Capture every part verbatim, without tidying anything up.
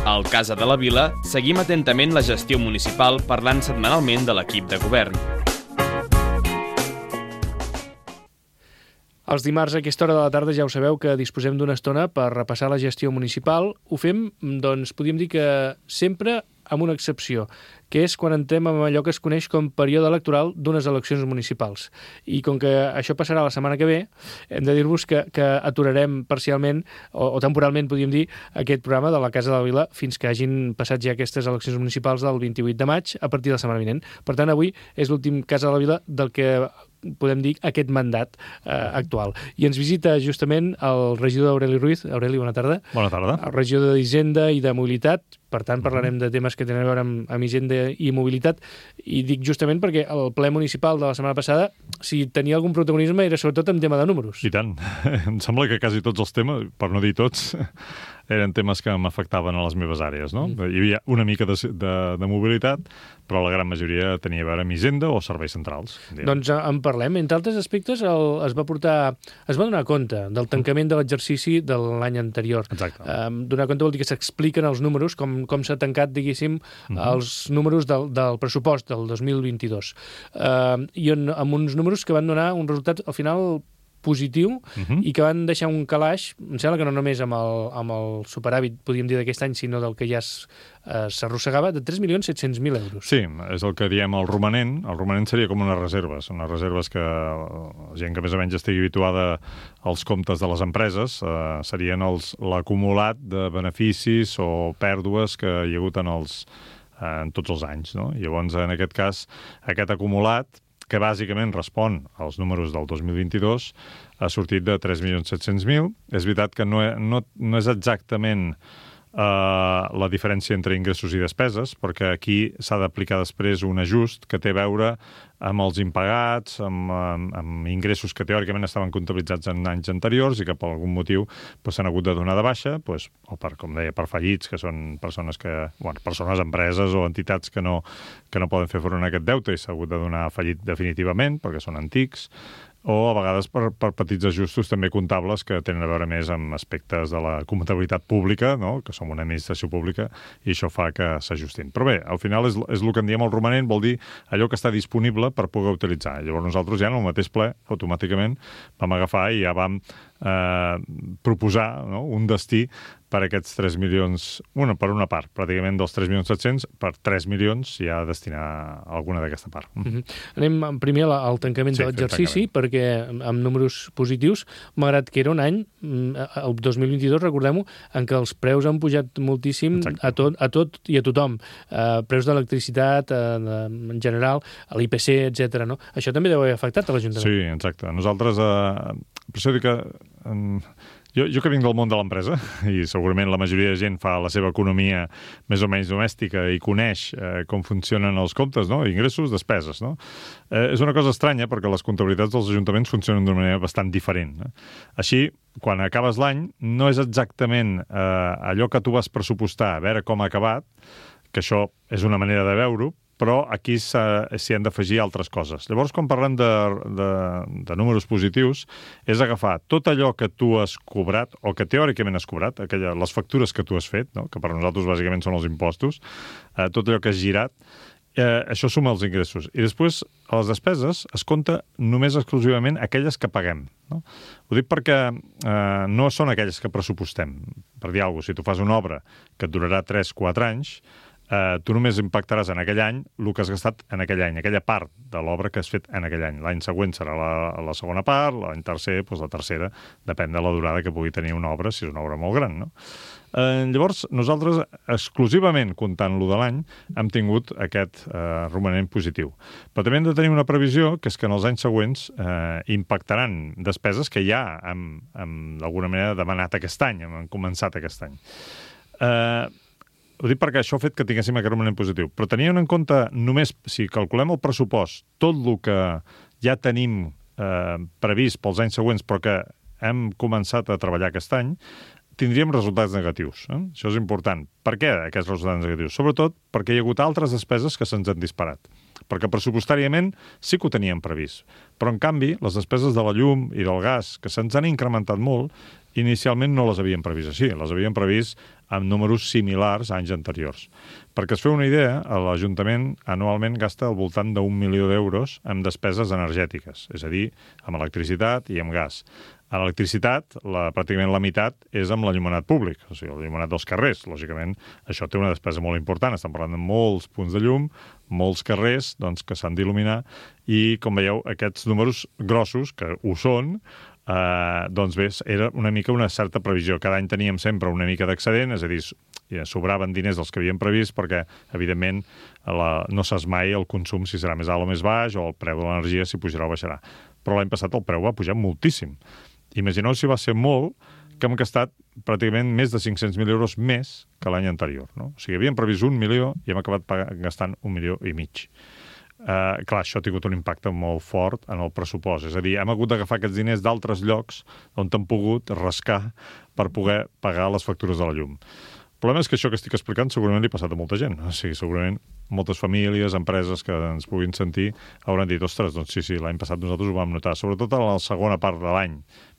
Al Casa de la Vila seguim atentament la gestió municipal parlant setmanalment de l'equip de govern. Els dimarts a aquesta hora de la tarda ja ho sabeu que disposem d'una estona per repassar la gestió municipal. Ho fem, doncs, podríem dir que sempre amb una excepció, que és quan entrem en allò que es coneix com període electoral d'unes eleccions municipals. I com que això passarà la setmana que ve, hem de dir-vos que, que aturarem parcialment, o, o temporalment, podríem dir, aquest programa de la Casa de la Vila fins que hagin passat ja aquestes eleccions municipals del vint-i-vuit de maig a partir de la setmana vinent. Per tant, avui és l'últim Casa de la Vila del que podem dir aquest mandat eh, actual. I ens visita justament el regidor Aureli Ruiz. Aureli, bona tarda. Bona tarda. El regidor d'Hisenda i de Mobilitat. Per tant, parlarem de temes que tenen a veure amb, amb Hisenda i Mobilitat. I dic justament perquè el ple municipal de la setmana passada, si tenia algun protagonisme, era sobretot en tema de números. I tant. Em sembla que quasi tots els temes, per no dir tots, eren temes que m'afectaven a les meves àrees, no? Mm. Hi havia una mica de, de, de mobilitat, però la gran majoria tenia a veure amb Hisenda o serveis centrals. Diguem. Doncs en parlem. Entre altres aspectes, el, es va portar, es va donar compte del tancament de l'exercici de l'any anterior. Exacte. Um, donar compte vol dir que s'expliquen els números, com, com s'ha tancat, diguéssim, uh-huh. els números del, del pressupost del dos mil vint-i-dos. Uh, I on, amb uns números que van donar un resultat, al final, positiu, uh-huh. i que van deixar un calaix, em sembla que no només amb el, amb el superàvit, podríem dir, d'aquest any, sinó del que ja s'arrossegava, de tres milions set-cents mil euros. Sí, és el que diem el romanent. El romanent seria com unes reserves, unes reserves que la gent que més o menys estigui habituada als comptes de les empreses eh, serien els l'acumulat de beneficis o pèrdues que hi ha hagut en, els, en tots els anys, no? Llavors, en aquest cas, aquest acumulat, que bàsicament respon als números del dos mil vint-i-dos, ha sortit de tres milions set-cents mil. És veritat que no, no, no és exactament eh, la diferència entre ingressos i despeses, perquè aquí s'ha d'aplicar després un ajust que té a veure amb els impagats, amb, amb, amb ingressos que teòricament estaven comptabilitzats en anys anteriors i que per algun motiu pues, s'han hagut de donar de baixa, pues, o per, com deia, per fallits, que són persones que, bueno, persones, empreses o entitats que no, que no poden fer front a aquest deute i s'ha hagut de donar fallit definitivament perquè són antics, o a vegades per, per petits ajustos també comptables que tenen a veure més amb aspectes de la comptabilitat pública, no? Que som una administració pública, i això fa que s'ajustin. Però bé, al final és, és el que en diem el romanent, vol dir allò que està disponible per poder utilitzar. Llavors nosaltres ja en el mateix ple, automàticament, vam agafar i ja vam eh, proposar, no? Un destí per aquests tres milions, una, per una part, pràcticament dels tres milions set-cents, per tres milions ja destinar alguna d'aquesta part. Mm-hmm. Anem primer al tancament sí, de l'exercici, perquè amb números positius, malgrat que era un any, el dos mil vint-i-dos, recordem-ho, en què els preus han pujat moltíssim a tot, a tot i a tothom. Uh, preus d'electricitat, uh, en general, a l'I P C, etcètera. No? Això també deu haver afectat a l'Ajuntament. Sí, exacte. Nosaltres, uh, per això dic que... Um, Jo, jo que vinc del món de l'empresa, i segurament la majoria de gent fa la seva economia més o menys domèstica i coneix eh, com funcionen els comptes, no? Ingressos, despeses, no? Eh, és una cosa estranya perquè les comptabilitats dels ajuntaments funcionen d'una manera bastant diferent. Eh? Així, quan acabes l'any, no és exactament eh, allò que tu vas pressupostar, a veure com ha acabat, que això és una manera de veure-ho, però aquí s'hi han d'afegir altres coses. Llavors, quan parlem de, de, de números positius, és agafar tot allò que tu has cobrat, o que teòricament has cobrat, aquella, les factures que tu has fet, no? Que per nosaltres bàsicament són els impostos, eh, tot allò que has girat, eh, això suma els ingressos. I després, a les despeses, es compta només exclusivament aquelles que paguem. No? Ho dic perquè eh, no són aquelles que pressupostem. Per dir alguna cosa, si tu fas una obra que et durarà tres o quatre anys, Uh, tu només impactaràs en aquell any el que has gastat en aquell any, aquella part de l'obra que has fet en aquell any. L'any següent serà la, la segona part, l'any tercer, doncs la tercera, depèn de la durada que pugui tenir una obra, si és una obra molt gran, no? Uh, llavors, nosaltres, exclusivament comptant-lo de l'any, hem tingut aquest uh, romanent positiu. Però també hem de tenir una previsió, que és que en els anys següents uh, impactaran despeses que ja hem, hem d'alguna manera demanat aquest any, hem començat aquest any. Uh, Ho dic perquè això ha fet que tinguéssim aquest romanent positiu. Però tenint en compte només, si calculem el pressupost, tot el que ja tenim eh, previst pels anys següents, però que hem començat a treballar aquest any, tindríem resultats negatius. Eh? Això és important. Per què aquests resultats negatius? Sobretot perquè hi ha hagut altres despeses que se'ns han disparat. Perquè pressupostàriament sí que ho teníem previst. Però, en canvi, les despeses de la llum i del gas, que se'ns han incrementat molt, inicialment no les havien previst així, les havien previst amb números similars a anys anteriors. Perquè es feu una idea, l'Ajuntament anualment gasta al voltant d'un milió d'euros en despeses energètiques, és a dir, amb electricitat i amb gas. A l'electricitat, la, pràcticament la meitat és amb l'enllumenat públic, o sigui, l'enllumenat dels carrers. Lògicament, això té una despesa molt important. Estem parlant de molts punts de llum, molts carrers doncs, que s'han d'il·luminar, i, com veieu, aquests números grossos, que ho són, Uh, doncs bé, era una mica una certa previsió. Cada any teníem sempre una mica d'excedent, és a dir, sobraven diners dels que havíem previst perquè, evidentment, la, no saps mai el consum si serà més alt o més baix, o el preu de l'energia si pujarà o baixarà. Però l'any passat el preu va pujar moltíssim. Imagineu si va ser molt que hem gastat pràcticament més de cinc-cents mil euros més que l'any anterior. No? O sigui, havíem previst un milió i hem acabat gastant un milió i mig. Uh, clar, això ha tingut un impacte molt fort en el pressupost. És a dir, hem hagut d'agafar aquests diners d'altres llocs on han pogut rascar per poder pagar les factures de la llum. El problema és que això que estic explicant segurament li ha passat a molta gent. O sigui, segurament moltes famílies, empreses que ens puguin sentir hauran dit, ostres, doncs sí, sí, l'any passat nosaltres ho vam notar, sobretot a la segona part de l'any,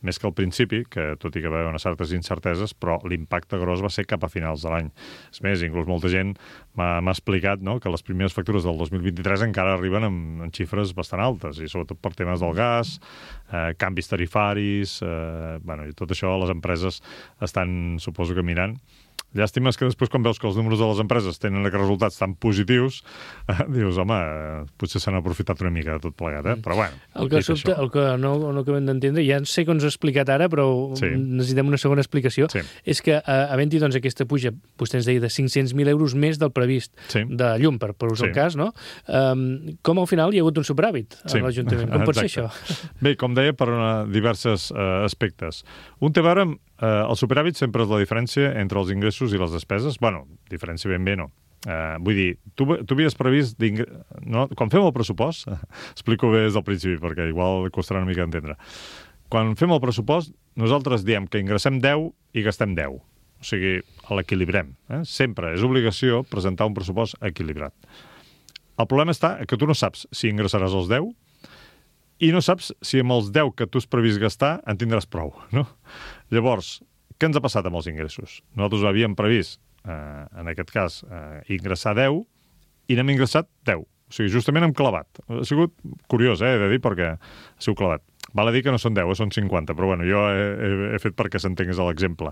més que al principi, que tot i que va haver unes certes incerteses, però l'impacte gros va ser cap a finals de l'any. És més, inclús molta gent m'ha explicat, no?, que les primeres factures del dos mil vint-i-tres encara arriben amb, amb xifres bastant altes, i sobretot per temes del gas, eh, canvis tarifaris, eh, bueno, i tot això les empreses estan, suposo que mirant. Llàstima és que després, quan veus que els números de les empreses tenen aquests resultats tan positius, eh, dius, home, eh, potser s'han aprofitat una mica de tot plegat, eh? Però bueno, el que, sobte, el que no, no acabem d'entendre, ja sé que ens ho has explicat ara, però sí, necessitem una segona explicació, sí, és que eh, havent-hi doncs, aquesta puja, vostè ens deia, de cinc-cents mil euros més del previst, sí, de llum, per, per usar sí, el cas, no? Um, com al final hi ha hagut un superàvit a sí, l'Ajuntament? Com pot ser això? Bé, com deia, per una, diversos uh, aspectes. Un té a veure amb Uh, el superàvit sempre és la diferència entre els ingressos i les despeses. Bueno, diferència ben bé no. Uh, vull dir, tu, tu havies previst... No? Quan fem el pressupost, explico bé des del principi, perquè igual costarà una mica d'entendre. Quan fem el pressupost, nosaltres diem que ingressem deu i gastem deu. O sigui, l'equilibrem. Eh? Sempre és obligació presentar un pressupost equilibrat. El problema està que tu no saps si ingressaràs els deu i no saps si amb els deu que tu has previst gastar en tindràs prou, no? Llavors, què ens ha passat amb els ingressos? Nosaltres havíem previst, eh, en aquest cas, eh, ingressar deu i n'hem ingressat deu. O sigui, justament hem clavat. Ha sigut curiós, eh, he de dir, perquè ha sigut clavat. Val a dir que no són deu, eh, són cinquanta, però bueno, jo he, he, he fet perquè s'entengués l'exemple.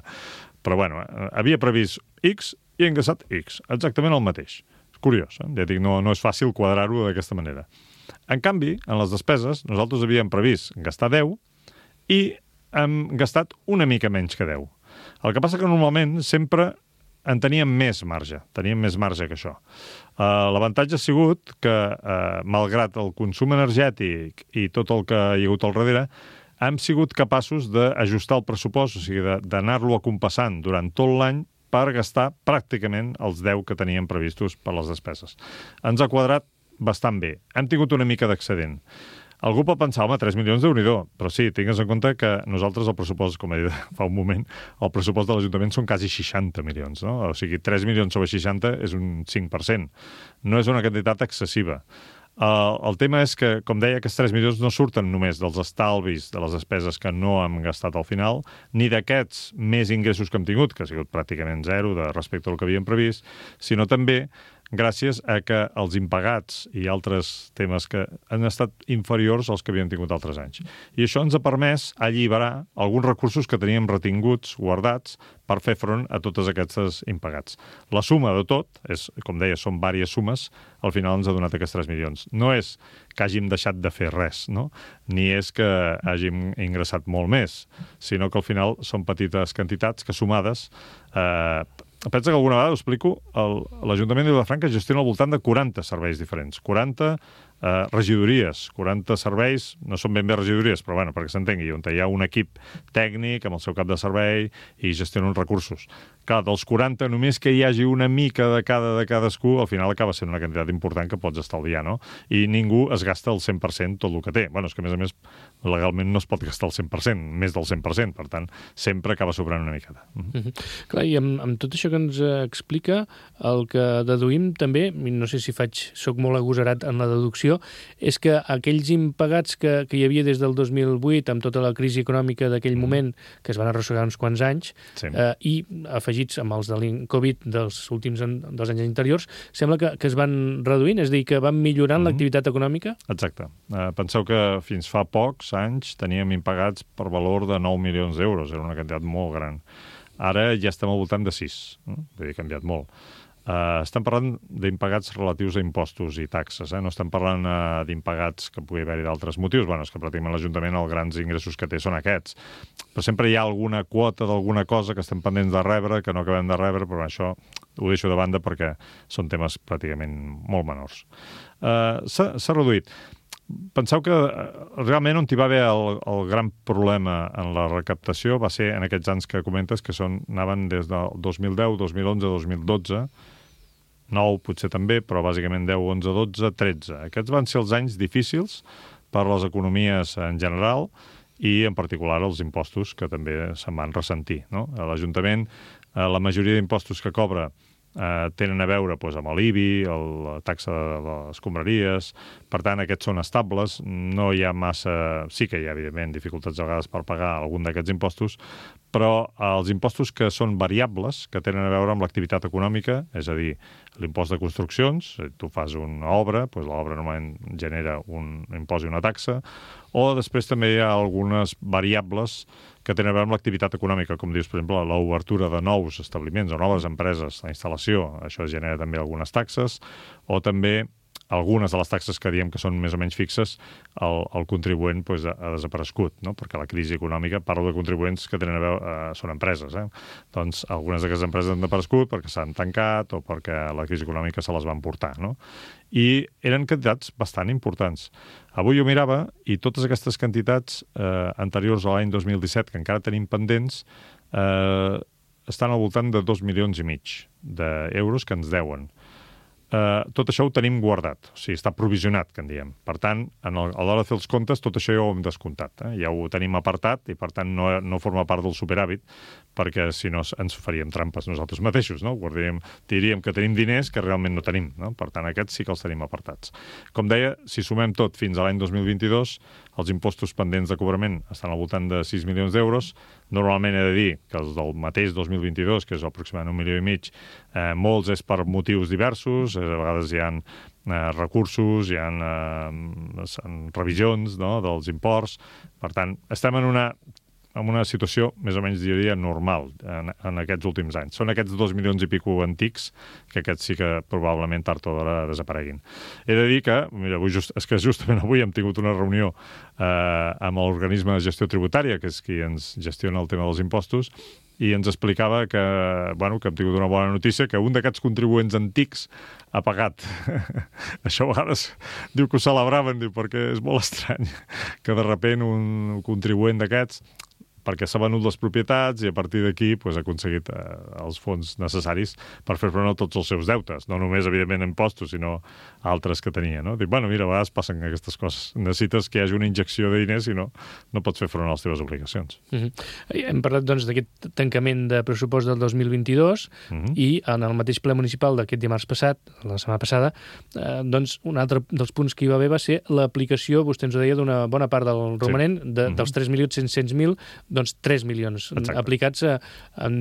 Però bueno, eh, havia previst X i he ingressat X, exactament el mateix. És curiós, eh? Ja dic, no, no és fàcil quadrar-ho d'aquesta manera. En canvi, en les despeses, nosaltres havíem previst gastar deu i hem gastat una mica menys que deu. El que passa que normalment sempre en teníem més marge, teníem més marge que això. Uh, L'avantatge ha sigut que, uh, malgrat el consum energètic i tot el que hi ha hagut al darrere, hem sigut capaços d'ajustar el pressupost, o sigui, d'anar-lo acompassant durant tot l'any per gastar pràcticament els deu que teníem previstos per les despeses. Ens ha quadrat bastant bé. Hem tingut una mica d'excedent. Algú pot pensar, home, tres milions d'Unidor, però sí, tingues en compte que nosaltres el pressupost, com he dit fa un moment, el pressupost de l'Ajuntament són quasi seixanta milions, no? O sigui, tres milions sobre seixanta és un cinc per cent. No és una quantitat excessiva. Uh, el tema és que, com deia, aquests tres milions no surten només dels estalvis de les despeses que no hem gastat al final, ni d'aquests més ingressos que hem tingut, que ha sigut pràcticament zero de respecte al que havíem previst, sinó també gràcies a que els impagats i altres temes que han estat inferiors als que havíem tingut altres anys. I això ens ha permès alliberar alguns recursos que teníem retinguts, guardats, per fer front a totes aquestes impagats. La suma de tot, és, com deia, són diverses sumes, al final ens ha donat aquests tres milions. No és que hàgim deixat de fer res, no? Ni és que hàgim ingressat molt més, sinó que al final són petites quantitats que sumades... Eh, pensa que alguna vegada, ho explico, l'Ajuntament de Vilafranca gestiona al voltant de quaranta serveis diferents. quaranta eh, regidories, quaranta serveis, no són ben bé regidories, però bueno, perquè s'entengui, on hi ha un equip tècnic amb el seu cap de servei i gestiona uns recursos. Clar, dels quaranta, només que hi hagi una mica de cada de cadascú, al final acaba sent una quantitat important que pots estalviar, no? I ningú es gasta el cent per cent tot el que té. Bueno, és que a més a més, legalment no es pot gastar el cent per cent, més del cent per cent, per tant, sempre acaba sobrant una miqueta. Uh-huh. Uh-huh. Clar, i amb, amb tot això que ens explica, el que deduïm també, no sé si faig, soc molt agosarat en la deducció, qüestió és que aquells impagats que, que hi havia des del dos mil vuit, amb tota la crisi econòmica d'aquell moment, que es van arrossegar uns quants anys, sí. eh, i afegits amb els de l'Incovid dels últims an, dels anys anteriors, sembla que, que es van reduint, és a dir, que van millorant mm-hmm. l'activitat econòmica? Exacte. Uh, penseu que fins fa pocs anys teníem impagats per valor de nou milions d'euros, era una quantitat molt gran. Ara ja estem al voltant de sis, no? Vull dir, ha canviat molt. Uh, estem parlant d'impagats relatius a impostos i taxes, eh? No estem parlant uh, d'impagats que pugui haver-hi d'altres motius. Bueno, és que pràcticament l'Ajuntament els grans ingressos que té són aquests. Però sempre hi ha alguna quota d'alguna cosa que estem pendents de rebre, que no acabem de rebre, però això ho deixo de banda perquè són temes pràcticament molt menors. Uh, s'ha reduït. Penseu que realment on hi va haver el, el gran problema en la recaptació va ser en aquests anys que comentes, que són, anaven des del dos mil deu, dos mil onze, dos mil dotze, nou potser també, però bàsicament deu, onze, dotze, tretze. Aquests van ser els anys difícils per les economies en general i en particular els impostos que també se'n van ressentir, no? L'Ajuntament, la majoria d'impostos que cobra Uh, tenen a veure doncs, amb l'I B I, el, la taxa de les escombraries, per tant, aquests són estables, no hi ha massa... Sí que hi ha, evidentment, dificultats a vegades per pagar algun d'aquests impostos, però els impostos que són variables, que tenen a veure amb l'activitat econòmica, és a dir, l'impost de construccions, tu fas una obra, doncs l'obra normalment genera un impost i una taxa, o després també hi ha algunes variables que tenen a veure amb l'activitat econòmica, com dius, per exemple, l'obertura de nous establiments o noves empreses, la instal·lació, això genera també algunes taxes, o també algunes de les taxes que diem que són més o menys fixes, el, el contribuent doncs, ha desaparegut, no? Perquè la crisi econòmica, parlo de contribuents que tenen a veure, eh, són empreses, eh? Doncs algunes d'aquestes empreses han desaparegut perquè s'han tancat o perquè la crisi econòmica se les va emportar, no? I eren quantitats bastant importants. Avui ho mirava i totes aquestes quantitats eh, anteriors a l'any dos mil disset, que encara tenim pendents, eh, estan al voltant de dos milions i mig d'euros que ens deuen. Uh, tot això ho tenim guardat, o sigui, està provisionat, que en diem. Per tant, en el, a l'hora de fer els comptes, tot això ja ho hem descomptat. Eh? Ja ho tenim apartat i, per tant, no, no forma part del superàvit, perquè si no ens faríem trampes nosaltres mateixos, no? Guardaríem, diríem que tenim diners que realment no tenim, no? Per tant, aquests sí que els tenim apartats. Com deia, si sumem tot fins a l'any dos mil vint-i-dos, els impostos pendents de cobrament estan al voltant de sis milions d'euros. Normalment he de dir que els del mateix dos mil vint-i-dos, que és aproximadament un milió i mig, eh, molts és per motius diversos, a vegades hi ha eh, recursos, hi ha eh, revisions, no?, dels imports. Per tant, estem en una, en una situació més o menys, diria, normal en, en aquests últims anys. Són aquests dos milions i pico antics que aquests sí que probablement tard o d'hora desapareguin. He de dir que, mira, avui just, és que justament avui hem tingut una reunió eh, amb l'organisme de gestió tributària, que és qui ens gestiona el tema dels impostos, i ens explicava que, bueno, que hem tingut una bona notícia, que un d'aquests contribuents antics ha pagat. Això a vegades diu que ho celebraven, diu, perquè és molt estrany que de sobte un contribuent d'aquests, perquè s'ha venut les propietats i a partir d'aquí pues, ha aconseguit eh, els fons necessaris per fer front a tots els seus deutes. No només, evidentment, impostos, sinó altres que tenia. No? Dic, bueno, mira, a vegades passen aquestes coses. Necessites que hi hagi una injecció de diners i no, no pots fer front a les teves obligacions. Mm-hmm. Hem parlat doncs, d'aquest tancament de pressupost del dos mil vint-i-dos mm-hmm. i en el mateix ple municipal d'aquest dimarts passat, la setmana passada, eh, doncs un altre dels punts que hi va haver va ser l'aplicació, vostè ens ho deia, d'una bona part del romanent, sí. de, mm-hmm. dels tres milions cinc-cents mil, doncs tres milions Exacte. Aplicats a, en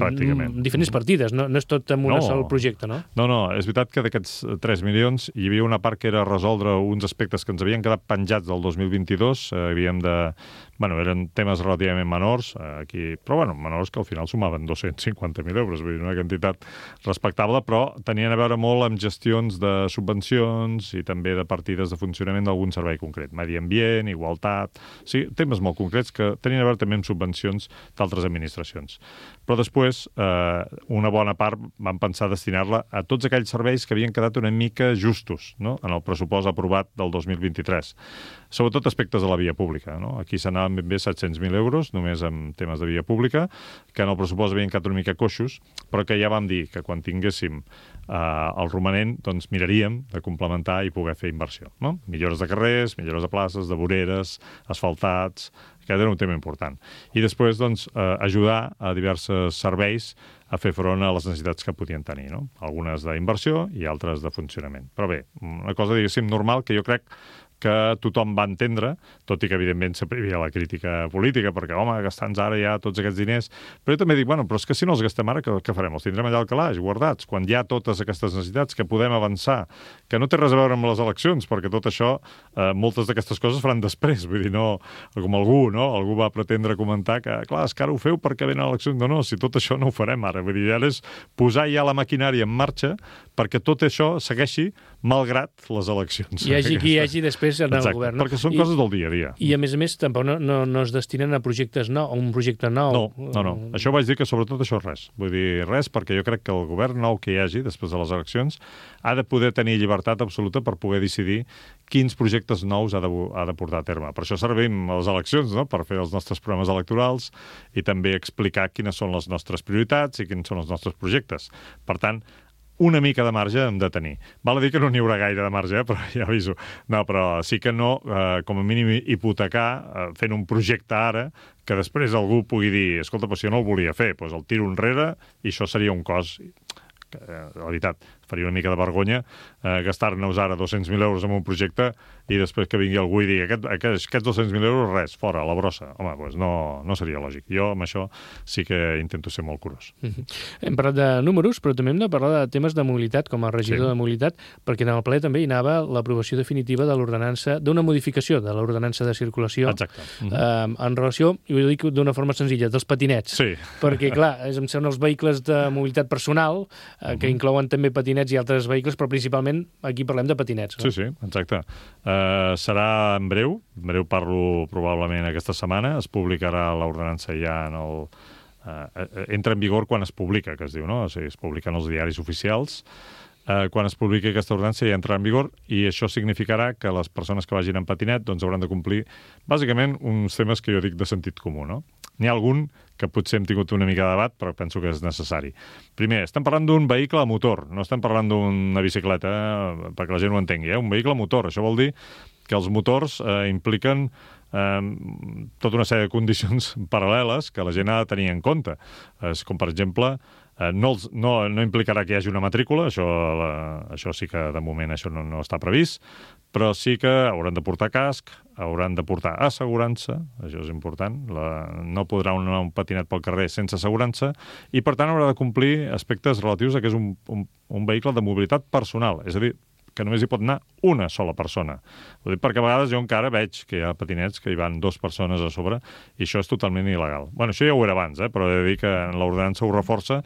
diferents partides, no, no és tot en un no. sol projecte, no? No, no, és veritat que d'aquests tres milions hi havia una part que era resoldre uns aspectes que ens havien quedat penjats del dos mil vint-i-dos, eh, havíem de... Bueno, eren temes relativament menors, eh, aquí, però bueno, menors que al final sumaven dos-cents cinquanta mil euros, vull dir, una quantitat respectable, però tenien a veure molt amb gestions de subvencions i també de partides de funcionament d'algun servei concret, medi ambient, igualtat, o sigui, temes molt concrets que tenien a veure també amb subvencions d'altres administracions. Però després, eh, una bona part van pensar destinar-la a tots aquells serveis que havien quedat una mica justos, no?, en el pressupost aprovat del dos mil vint-i-tres. Sobretot aspectes de la via pública, no? Aquí s'anaven ben bé set-cents mil euros, només en temes de via pública, que en el pressupost havien quedat una mica coixos, però que ja vam dir que quan tinguéssim eh, el romanent, doncs miraríem de complementar i poder fer inversió, no? Millores de carrers, millores de places, de voreres, asfaltats, Aquest era un tema important. I després, doncs, eh, ajudar a diversos serveis a fer front a les necessitats que podien tenir, no? Algunes d'inversió i altres de funcionament. Però bé, una cosa, diguéssim, normal que jo crec que tothom va entendre, tot i que, evidentment, sempre hi havia la crítica política, perquè, home, gastar-nos ara ja tots aquests diners... Però jo també dic, bueno, però és que si no els gastem ara, què, què farem? Els tindrem allà al calaix, guardats, quan hi ha totes aquestes necessitats que podem avançar, que no té res a veure amb les eleccions, perquè tot això, eh, moltes d'aquestes coses faran després, vull dir, no... Com algú, no? Algú va pretendre comentar que, clar, és que ara ho feu perquè venen eleccions. No, no, si tot això no ho farem ara. Vull dir, ara és posar ja la maquinària en marxa perquè tot això segueixi malgrat les eleccions. Hi hagi qui hi hagi després en el govern. Perquè són I, coses del dia a dia. I, a més a més, tampoc no, no, no es destinen a projectes nous, a un projecte nou. No, no, no. Això vaig dir que sobretot això és res. Vull dir, res, perquè jo crec que el govern nou que hi hagi després de les eleccions ha de poder tenir llibertat absoluta per poder decidir quins projectes nous ha de, ha de portar a terme. Per això servim a les eleccions, no?, per fer els nostres programes electorals i també explicar quines són les nostres prioritats i quins són els nostres projectes. Per tant, una mica de marge hem de tenir. Val a dir que no n'hi haurà gaire de marge, eh? Però ja aviso. No, però sí que no, eh, com a mínim, hipotecar eh, fent un projecte ara que després algú pugui dir, escolta, però si jo no el volia fer, doncs el tiro enrere i això seria un cost que, eh, la veritat, faria una mica de vergonya eh, gastar-nos ara dos-cents mil euros en un projecte i després que vingui algú i digui aquest, aquests, aquests dos-cents mil euros, res, fora, a la brossa. Home, doncs no, no seria lògic. Jo amb això sí que intento ser molt curós. Mm-hmm. Hem parlat de números, però també hem de parlar de temes de mobilitat, com a regidor sí. de mobilitat, perquè en el ple també hi anava l'aprovació definitiva de l'ordenança, d'una modificació de l'ordenança de circulació. Exacte. Mm-hmm. eh, en relació, i ho dic d'una forma senzilla, dels patinets. Sí. Perquè, clar, em semblen els vehicles de mobilitat personal, eh, mm-hmm. que inclouen també patinets i altres vehicles, però principalment aquí parlem de patinets. No? Sí, sí, exacte. Uh, serà en breu, en breu parlo probablement aquesta setmana, es publicarà l'ordenança ja en el... Uh, entra en vigor quan es publica, que es diu, no? O sigui, es publiquen els diaris oficials. Uh, quan es publiqui aquesta ordenança ja entrarà en vigor i això significarà que les persones que vagin en patinet doncs hauran de complir bàsicament uns temes que jo dic de sentit comú, no? N'hi ha algun que potser hem tingut una mica de debat, però penso que és necessari. Primer, estem parlant d'un vehicle a motor, no estem parlant d'una bicicleta, eh, perquè la gent ho entengui, eh? Un vehicle a motor. Això vol dir que els motors eh, impliquen eh, tota una sèrie de condicions paral·leles que la gent ha de tenir en compte. És com, per exemple, eh, no, els, no, no implicarà que hi hagi una matrícula, això, la, això sí que de moment això no, no està previst, però sí que hauran de portar casc, hauran de portar assegurança, això és important, la, no podrà anar un patinet pel carrer sense assegurança, i per tant haurà de complir aspectes relatius a que és un, un, un vehicle de mobilitat personal, és a dir, que només hi pot anar una sola persona. Ho dic perquè a vegades jo encara veig que hi ha patinets que hi van dues persones a sobre i això és totalment il·legal. Bueno, això ja ho era abans, eh? Però he de dir que l'ordenança ho reforça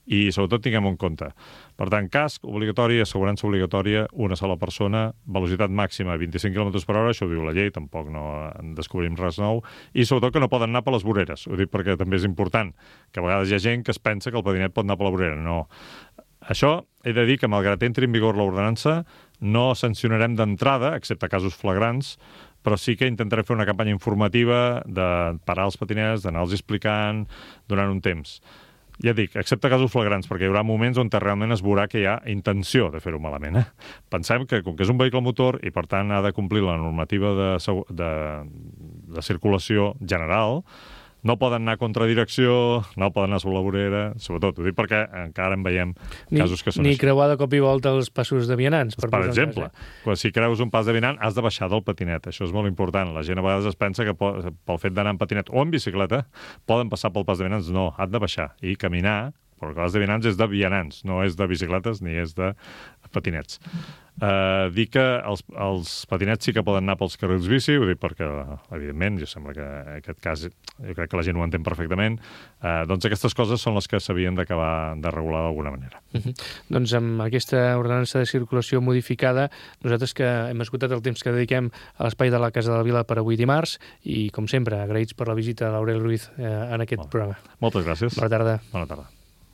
i sobretot tinguem en compte. Per tant, casc obligatori, assegurança obligatòria, una sola persona, velocitat màxima vint-i-cinc quilòmetres per hora, això ho diu la llei, tampoc no en descobrim res nou, i sobretot que no poden anar per les voreres. Ho dic perquè també és important, que a vegades hi ha gent que es pensa que el patinet pot anar per la vorera. No. Això he de dir que, malgrat entri en vigor l'ordenança, no sancionarem d'entrada, excepte casos flagrants, però sí que intentaré fer una campanya informativa de parar els patinets, d'anar-los explicant durant un temps. Ja dic, excepte casos flagrants, perquè hi haurà moments on realment es veurà que hi ha intenció de fer-ho malament. Eh? Pensem que, com que és un vehicle motor i, per tant, ha de complir la normativa de, de, de circulació general, no poden anar a contradirecció, no poden anar sobre la vorera, sobretot, ho dic perquè encara en veiem ni, casos que són ni així. Ni creuar de cop i volta els passos de vianants. Per, per exemple, cas, eh? Quan si creus un pas de vianant, has de baixar del patinet. Això és molt important. La gent a vegades es pensa que pel fet d'anar en patinet o en bicicleta poden passar pel pas de vianants. No, han de baixar i caminar, perquè el pas de vianants és de vianants, no és de bicicletes ni és de patinets. Uh, dir que els, els patinets sí que poden anar pels carrils bici, ho dic perquè, evidentment, jo sembla que en aquest cas jo crec que la gent ho entén perfectament, uh, doncs aquestes coses són les que s'havien d'acabar de regular d'alguna manera. Uh-huh. Doncs amb aquesta ordenança de circulació modificada, nosaltres que hem esgotat el temps que dediquem a l'espai de la Casa de la Vila per avui dimarts, i com sempre, agraïts per la visita de l'Aureli Ruiz eh, en aquest Molt. programa. Moltes gràcies. Bona tarda. Bona tarda.